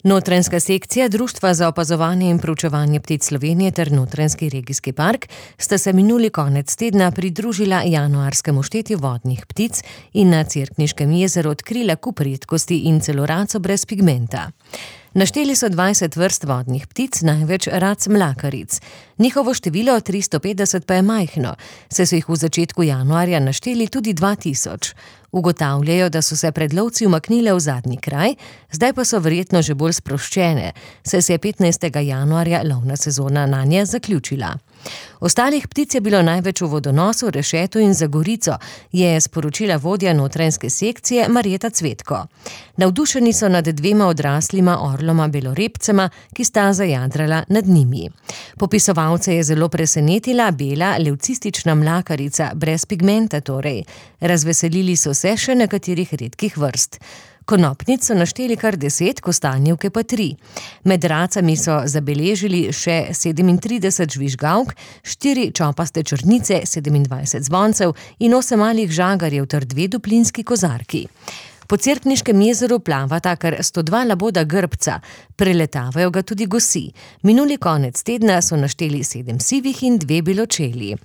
Notranjska sekcija Društva za opazovanje in proučevanje ptic Slovenije ter Notranjski regijski park sta se minuli konec tedna pridružila januarskemu štetju vodnih ptic in na Cerkniškem jezeru odkrila kup redkosti in celo raco brez pigmenta. Našteli so 20 vrst vodnih ptic, največ rac mlakaric. Njihovo število 350 pa je majhno, saj so jih v začetku januarja našteli tudi 2000. Ugotavljajo, da so se pred lovci umaknile v zadnji kraj, zdaj pa so verjetno že bolj sproščene, saj se je 15. januarja lovna sezona nanje zaključila. Ostalih ptic je bilo največ v Vodonosu, Rešetu in Zagorico, je sporočila vodja notranjske sekcije Marjeta Cvetko. Navdušeni so nad dvema odraslima orloma belorepcema, ki sta zajadrala nad njimi. Popisovalce je zelo presenetila bela levcistična mlakarica, brez pigmenta torej. Razveselili so se še nekaterih redkih vrst. Konopnic so našteli kar 10, kostanjevke pa 3. Med racami so zabeležili še 37 žvižgavk, 4 čopaste črnice, 27 zvoncev in 8 malih žagarjev ter 2 duplinski kozarki. Po Cerkniškem jezeru plavata kar 102 laboda grbca, preletavajo ga tudi gosi. Minuli konec tedna so našteli 7 sivih in 2 beločeli.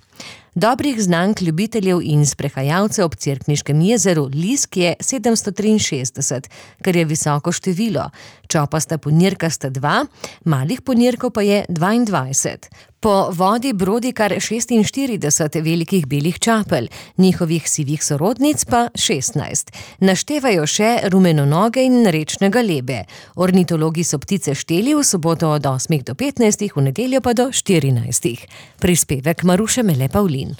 Dobrih znank ljubiteljev in sprehajalcev ob Cerkniškem jezeru lisk je 763, kar je visoko število. Čopasta ponirka sta 2, malih ponirkov pa je 22. Po vodi brodi kar 46 velikih belih čapelj, njihovih sivih sorodnic pa 16. Naštevajo še rumenonoge in rečne galebe. Ornitologi so ptice šteli v soboto od 8 do 15, v nedeljo pa do 14. Prispevek Maruše Mele Pavlin.